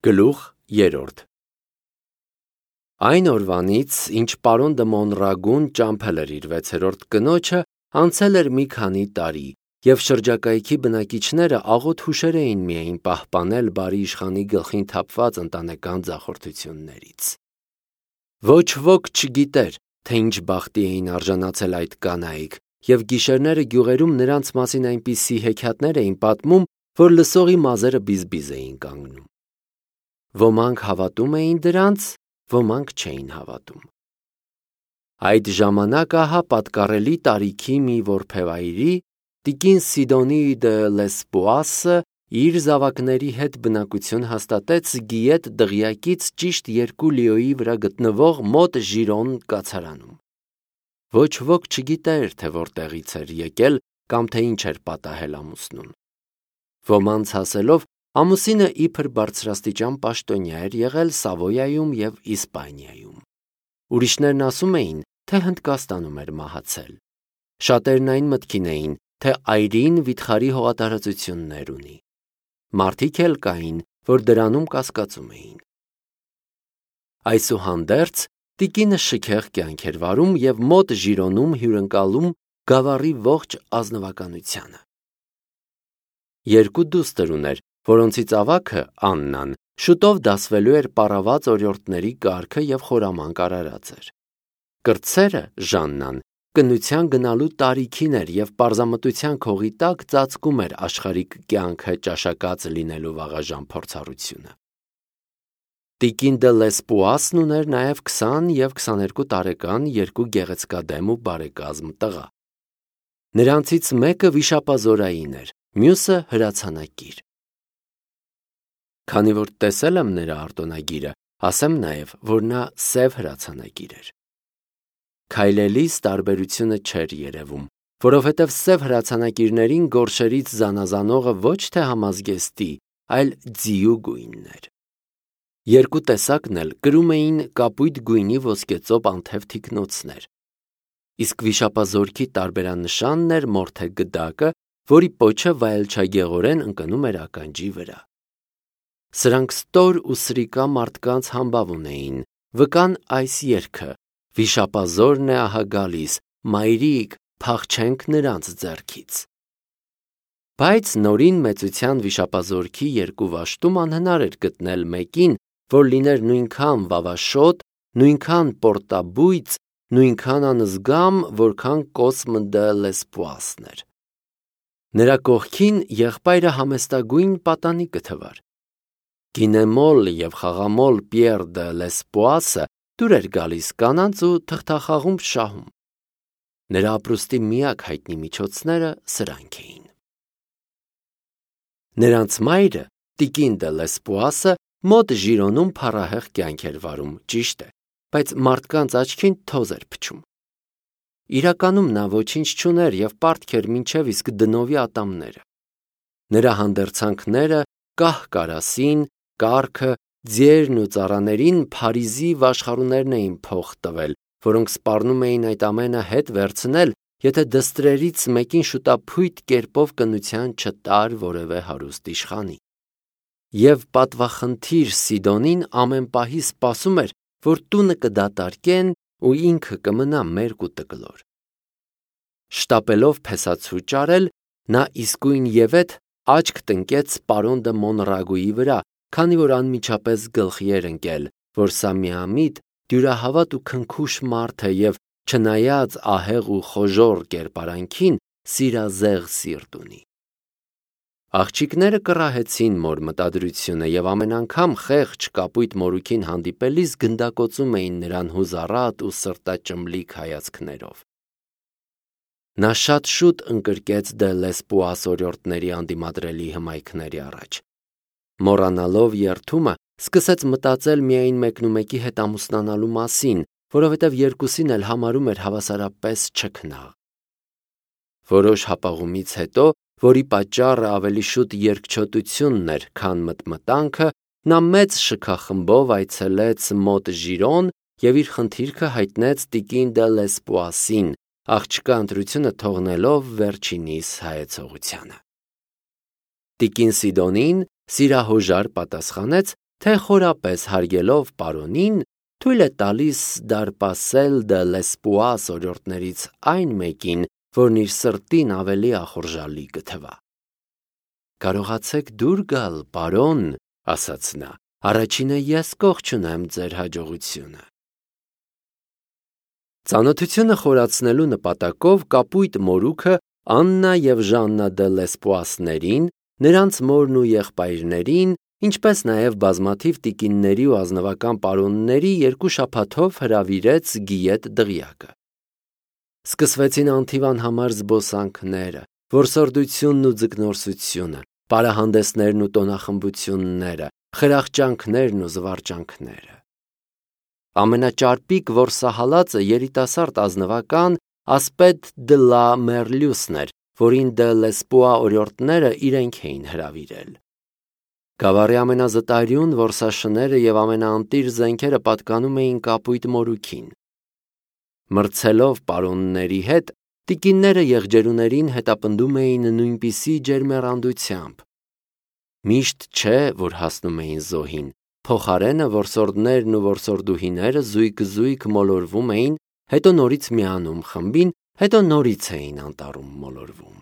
Գլուխ 3 Այն օրվանից, ինչ պարոն դը Մոնրագուն ճամփել էր իր 6-րդ կնոջը, անցել էր մի քանի տարի, և շրջակայքի բնակիչները աղոտ հուշեր էին միայն պահպանել բարի իշխանի գլխին թափված ընտանեկան ձախորդություններից։ Ոչ ոք չգիտեր, թե ինչ բախտի էին արժանացել այդ կանայք, և գիշերները գյուղերում նրանց մասին այնպիսի հեքիաթներ էին պատմում, որ լսողի մազերը բիզբիզ էին կանգնում։ Ոմանք հավատում էին դրանց, ոմանք չէին հավատում։ Այդ ժամանակ ահա պատկառելի տարիքի մի որբևայրի, տիկին Սիդոնի դը Լեսպուասը իր զավակների հետ բնակություն հաստատեց Գիետ դղյակից ճիշտ 2 լիոյի վրա գտնվող մոտ Ժիրոն կացարանում։ Ոչ ոք չգիտեր, թե որտեղից էր եկել կամ թե ինչ էր պատահել ամուսնուն։ Ոմանց ասելով, ամուսինը իբր բարձրաստիճան պաշտոնյա էր եղել Սավոյայում և Իսպանիայում։ Ուրիշներն ասում էին, թե Հնդկաստանում էր մահացել։ Շատերն այն մտքին էին, թե այրին վիթխարի հողատարածություններ ունի։ Մարդիկ էլ կային, որ դրանում կասկածում էին։ Այսուհանդերձ, տիկինը շքեղ կյանք էր վարում և մոտ Ժիրոնում հյուրընկալում գավառի ողջ ազնվականությանը։ 2 դուստր ուներ, որոնցից ավագը, Աննան, շուտով դասվելու էր պառաված օրիորդների կարգը և խորամանկ արարած էր։ Կրտսերը, Ժաննան, կնության գնալու տարիքին էր և պարզամտության քողի տակ ծածկում էր աշխարհիկ կյանքը ճաշակած լինելու վաղաժամ փորձառությունը։ Տիկին դը Լեսպուասն ուներ նաև 20 և 22 տարեկան 2 գեղեցկադեմ ու բարեկազմ տղա։ Նրանցից մեկը վիշապազորային էր, մյուսը հրացանակիր։ Քանի որ տեսել եմ նրա արտոնագիրը, ասեմ նաև, որ նա սև հրացանակիր էր։ Քայլելիս տարբերությունը չէր երևում, որովհետև սև հրացանակիրներին գորշերից զանազանողը ոչ թե համազգեստի, այլ ձիու գույնն էր։ 2 տեսակն էլ կրում էին կապույտ գույնի ոսկեծոպ անթև թիկնոցներ։ Իսկ վիշապազորքի տարբերանշանն էր մորթե գդակը, որի պոչը վայելչագեղորեն ընկնում էր ականջի վրա։ Սրանք ստոր ու սրիկա մարդկանց համբավ ունեին, վկան այս երգը. «Վիշապազորն է ահա գալիս, մայրիկ, փախչենք նրանց ձեռքից»։ Բայց նորին մեծության վիշապազորքի 2 վաշտում անհնար էր գտնել մեկին, որ լիներ նույնքան վավաշոտ, նույնքան պորտաբույծ, նույնքան անզգամ, որքան Կոսմ դը Լեսպուասն էր։ Նրա կողքին եղբայրը համեստագույն պատանի կթվար։ Գինեմոլ և խաղամոլ Պիեր դը Լեսպուասը դուր էր գալիս կանանց ու թղթախաղում շահում։ Նրա ապրուստի միակ հայտնի միջոցները սրանք էին։ Նրանց մայրը, տիկին դը Լեսպուասը, մոտ Ժիրոնում փառահեղ կյանք էր վարում, ճիշտ է, բայց մարդկանց աչքին թոզ էր փչում։ Իրականում նա ոչինչ չուներ և պարտք էր մինչև իսկ դնովի ատամները։ Նրա հանդերձանքները կահ-կարասին, կառքը, ձիերն ու ծառաներին Փարիզի վաշխառուներն էին փող տվել, որոնք սպառնում էին այդ ամենը հետ վերցնել, եթե դստրերից մեկին շուտափույթ կերպով կնության չտար որևէ հարուստ իշխանի։ Եվ պատվախնդիր Սիդոնին ամեն պահի սպասում էր, որ տունը կդատարկեն ու ինքը կմնա մերկ ու տկլոր։ Շտապելով փեսացու ճարել, նա իսկույնևեթ աչք տնկեց պարոն դը Մոնրագուի վրա, քանի որ անմիջապես գլխի էր ընկել, որ սա միամիտ, դյուրահավատ ու քնքուշ մարդ է և, չնայած ահեղ ու խոժոռ կերպարանքին, սիրազեղ սիրտ ունի։ Աղջիկները կռահեցին մոր մտադրությունը և ամեն անգամ խեղճ կապույտ մորուքին հանդիպելիս գնդակոծում էին նրան հուզառատ ու սրտաճմլիկ հայացքներով։ Նա շատ շուտ ընկրկեց դը Լեսպուաս օրիորդների անդիմադրելի հմայքների առաջ։ Մոռանալով երդումը, սկսեց մտածել միայն մեկնումեկի հետ ամուսնանալու մասին, որովհետև երկուսին էլ համարում էր հավասարապես չքնաղ։ Որոշ հապաղումից հետո, որի պատճառը ավելի շուտ երկչոտությունն էր, քան մտմտանքը, նա մեծ շքախմբով այցելեց մոտ Ժիրոն և իր խնդիրքը հայտնեց տիկին դը Լեսպուասին, աղջկա ընտրությունը թողնելով վերջինիս հայեցողությանը։ Տիկին Սիդոնին սիրահոժար պատասխանեց, թե խորապես հարգելով պարոնին, թույլ է տալիս դարպասել դե լեսպուաս օրիորդներից այն մեկին, որն իր սրտին ավելի ախորժալի կթվա։ Կարողացեք դուր գալ, պարոն, ասաց նա, առաջինը ես կողջունեմ ձեր հաջողությունը։ Ծանոթությունը խորացնելու նպատակով կապույտ մորուքը Աննա և Ժաննա դե լեսպուասներին, նրանց մորն ու եղբայրներին, ինչպես նաև բազմաթիվ տիկինների ու ազնվական պարոնների 2 շաբաթով հրավիրեց Գիետ դղյակը։ Սկսվեցին անթիվանհամար զբոսանքները, որսորդությունն ու ձկնորսությունը, պարահանդեսներն ու տոնախմբությունները, խրախճանքներն ու զվարճանքները։ Ամենաճարպիկ որսահալածը երիտասարդ ազնվական Ասպետ դե լա Մերլյուսն էր, որին դե լեսպուա օրիորդները իրենք էին հրավիրել։ Գավառի ամենազտարյուն որսաշները և ամենաանտիր զենքերը պատկանում էին կապույտ մորուքին։ Մրցելով պարոնների հետ, տիկինները եղջերուներին հետապնդում էին նույնպիսի ջերմեռանդությամբ։ Միշտ չէ, որ հասնում էին զոհին, փոխարենը որսորդներն ու որսորդուհիները զույգ-զույգ մոլորվում էին, հետո նորից միանում խմբին, հետո նորից էին անտառում մոլորվում։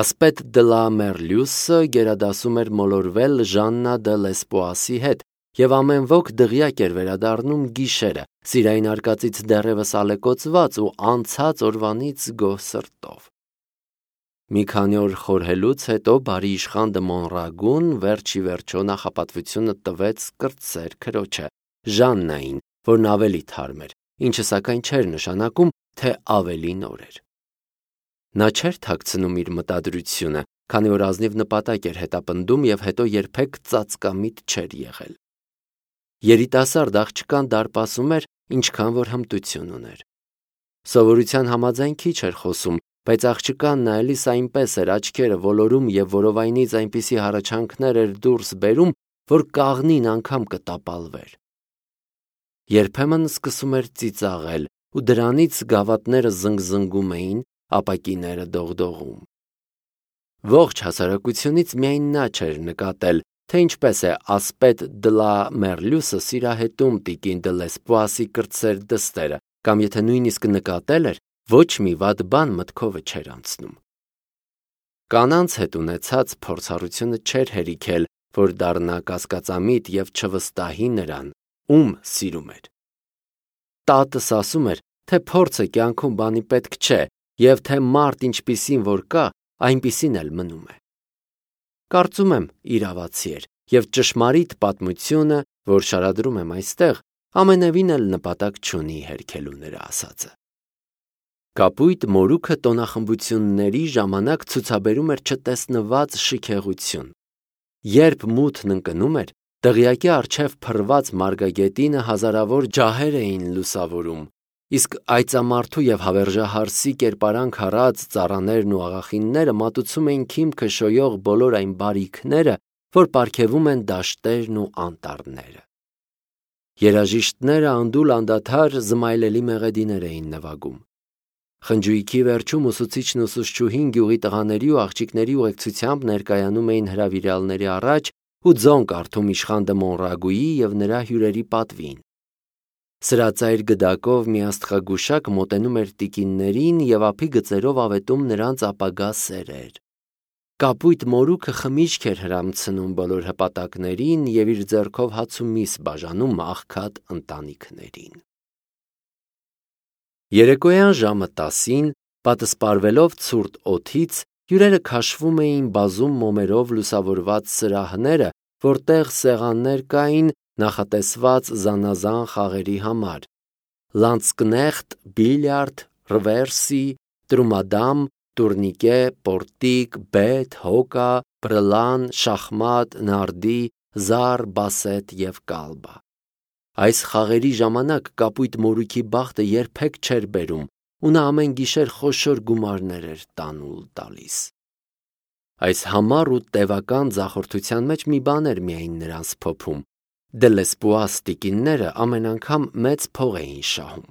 Ասպետ դե լա Մերլյուսը գերադասում էր մոլորվել Ժաննա դե լեսպուասի հետ և ամեն ոք դղյակ էր վերադառնում գիշերը, սիրային արկածից դեռևս ալեկոծված ու անցած օրվանից գոհ սրտով։ Մի քանի օր խորհելուց հետո բարի իշխան դը Մոնրագուն վերջ ի վերջո նախապատվությունը տվեց կրտսեր քրոջը, Ժաննային, որն ավելի թարմ էր, ինչը սակայն չէր նշանակում, թե ավելի նոր էր։ Նա չէր թաքցնում իր մտադրությունը, քանի որ ազնիվ նպատակ էր հետապնդում և հետո երբեք ծածկամիտ չէր եղել։ Երիտասարդ աղջկան դարպասում էր, ինչքան որ հմտություն ուներ։ Սովորության համաձայն քիչ էր խոսում, բայց աղջկան նայելիս այնպես էր աչքերը ոլորում և որովայնից այնպիսի հառաչանքներ էր դուրս բերում, որ կաղնին անգամ կտապալվեր։ Երբեմն սկսում էր ծիծաղել, ու դրանից գավաթները զնգզնգում էին, ապակիները դողդողում։ Ողջ հասարակությունից միայն նա չէր նկատել, թե ինչպես է Ասպետ դե լա Մերլյուսը սիրահետում տիկին դե լեսպուասի կրտսեր դստերը, կամ եթե նույնիսկ նկատել էր, ոչ մի վատ բան մտքովը չէր անցնում։ Կանանց հետ ունեցած փորձառությունը չէր հերիքել, որ դառնա կասկածամիտ և չվստահի նրան, ում սիրում էր։ Տատս ասում էր, թե փորձը կյանքում բանի պետք չէ, և թե մարդ ինչպիսին որ կա, այնպիսին էլ մնում է։ Կարծում եմ իրավացի էր, և ճշմարիտ պատմությունը, որ շարադրում եմ այստեղ, ամենևին էլ նպատակ չունի հերքելու նրա ասածը։ Կապույտ մորուքը տոնախմբությունների ժամանակ ցուցաբերում էր չտեսնված շքեղություն։ Երբ մութն ընկնում էր, դղյակի առջև փռված մարգագետինը հազարավոր ջահեր էին լուսավորում, իսկ այծամարդու և հավերժահարսի կերպարանք առած ծառաներն ու աղախինները մատուցում էին քիմքը շոյող բոլոր այն բարիքները, որ պարգևում են դաշտերն ու անտառները։ Երաժիշտները անդուլ անդադար զմայլելի մեղեդիներ էին նվագում։ Խնջույքի վերջում ուսուցիչն ու ուսուցչուհին գյուղի տղաների ու աղջիկների ուղեկցությամբ ներկայանում էին հրավիրյալների առաջ ու ձոն կարդում իշխան դը Մոնրագուի և նրա հյուրերի պատվին։ Սրածայր գդակով մի աստղագուշակ մոտենում էր տիկիններին և ափի գծերով ավետում նրանց ապագա սերեր։ Կապույտ մորուքը խմիչք էր հրամցնում բոլոր հպատակներին և իր ձեռքով հաց ու միս բաժանում աղքատ ընտանիքներին։ Երեկոյան ժամը 10-ին, պատսպարվելով ցուրտ օդից, հյուրերը քաշվում էին բազում մոմերով լուսավորված սրահները, որտեղ սեղաններ կային նախատեսված զանազան խաղերի համար՝ լանցկնեխտ, բիլիարդ, ռվերսի, տրումադամ, տուրնիկե, պորտիկ, բեթ, հոկա, բրլան, շախմատ, նարդի, զար, բասետ և կալբա։ Այս խաղերի ժամանակ կապույտ մորուքի բախտը երբեք չէր բերում, ու նա ամեն գիշեր խոշոր գումարներ էր տանուլ տալիս։ Այս համառ ու տևական ձախորդության մեջ մի բան էր միայն նրանց փոփում. դե լեսպուաս տիկինները ամեն անգամ մեծ փող էին շահում։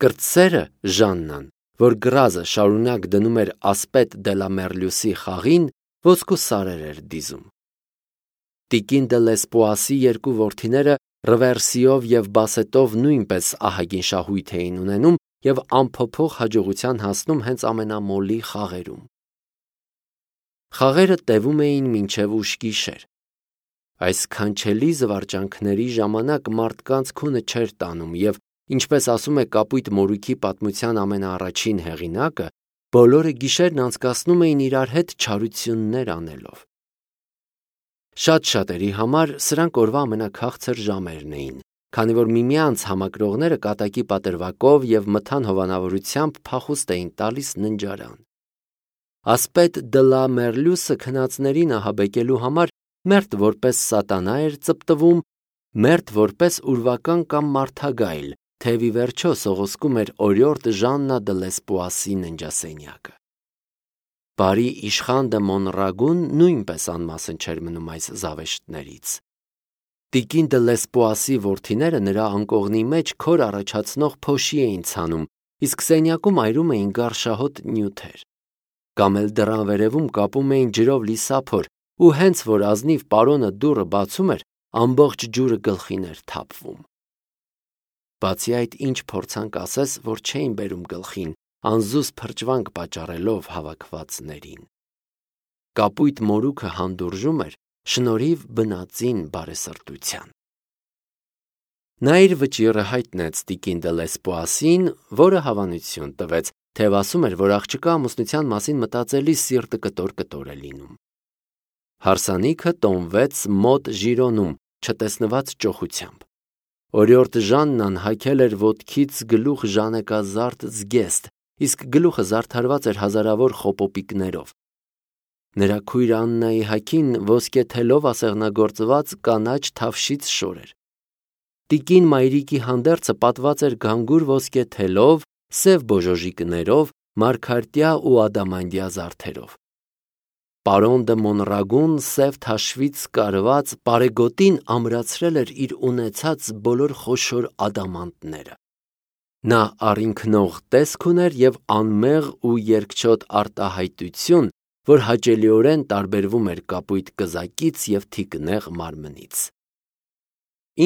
Կրտսերը Ժաննան, որ գրազը շարունակ դնում էր Ասպետ դե լա Մերլյուսի խաղին, ոսկու սարեր էր դիզում։ Տիկին դե Լեսպոասի երկու որդիները Ռվերսիով և Բասետով նույնպես ահագին շահույթ էին ունենում և անփոփոխ հաջողության հասնում հենց ամենամոլի խաղերում։ Խաղերը տևում էին մինչև ուշ գիշեր։ Այս քանչելի զվարճանքների ժամանակ մարդկանց քունը չէր տանում և, ինչպես ասում է Կապույտ մորուքի պատմության ամենաառաջին հեղինակը, բոլորը գիշերն անցկացնում էին իրար հետ չարություններ անելով։ Շատ շատերի համար սրանք օրվա ամենաքաղցր ժամերն էին, քանի որ միմյանց համակրողները կատակի պատրվակով և մթան հովանավորությամբ փախուստ էին տալիս ննջարան։ Ասպետ դը լա Մերլյուսը քնածներին ահաբեկելու համար մերթ որպես սատանա էր ծպտվում, մերթ որպես ուրվական կամ մարդագայլ, թեև ի վերջո սողոսկում էր օրիորդ Ժաննա դը Լեսպոասի ննջասենյակը։ Բարի իշխան դը Մոնրագուն նույնպես անմասն չէր մնում այս զավեշտներից։ Տիկին դը Լեսպոասի որդիները նրա անկողնի մեջ քոր առաջացնող փոշի էին ցանում, իսկ սենյակում այրում էին գարշահոտ նյութեր։ Կամ էլ դռան վերևում կապում էին ջրով լի սափոր, ու հենց որ ազնիվ պարոնը դուռը բացում էր, ամբողջ ջուրը գլխին էր թափվում։ Բացի այդ, ինչ փորձանք ասես, որ չէին բերում գլխին, անզուս փրճվանք պատճառելով հավաքվածներին։ Կապույտ մորուքը հանդուրժում էր շնորհիվ բնածին բարեսրտության։ Նա իր վճիռը հայտնեց տիկին դը Լեսպոասին, որը հավանություն տվեց, թեև ասում էր, որ աղջկա ամուսնության մասին մտածելիս սիրտը կտոր է լինում։ Հարսանիքը տոնվեց մոտ Ժիրոնում, չտեսնված ճոխությամբ։ Օրիորդ Ժաննան հագել էր ոտքից գլուխ ժանեկազարդ զգեստ, իսկ գլուխը զարդարված էր հազարավոր խոպոպիկներով։ Նրա քույր Աննայի հագին ոսկե թելով ասեղնագործված կանաչ թավշից շոր էր։ Տիկին Մայրիկի հանդերձը պատված էր գանգուր ոսկե թելով, սև բոժոժիկներով, մարգարտյա ու ադամանդյա զարդերով։ Պարոն դը Մոնրագուն սև թաշվից կարված պարեգոտին ամրացրել էր իր ունեցած բոլոր խոշոր ադամանդները։ Նա առինքնող տեսք ուներ և անմեղ ու երկչոտ արտահայտություն, որ հաճելիորեն տարբերվում էր կապույտ կզակից և թիկնեղ մարմնից։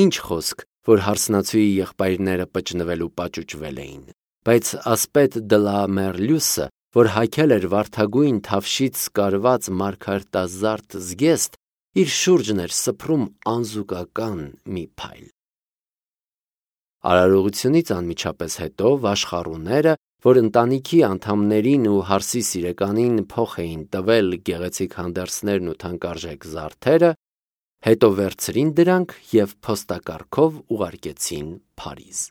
Ինչ խոսք, որ հարսնացուի եղբայրները պճնվել ու պաճուճվել էին, բայց ասպետ դը լա Մերլյուսը, որ հագել էր վարդագույն թավշից կարված մարգարտազարդ զգեստ, իր շուրջն էր սփռում անզուգական մի փայլ։ Արարողությունից անմիջապես հետո վաշխառուները, որ ընտանիքի անդամներին ու հարսի սիրեկանին փոխ էին տվել գեղեցիկ հանդերձներն ու թանկարժեք զարդերը, հետո վերցրին դրանք և փոստակառքով ուղարկեցին Փարիզ։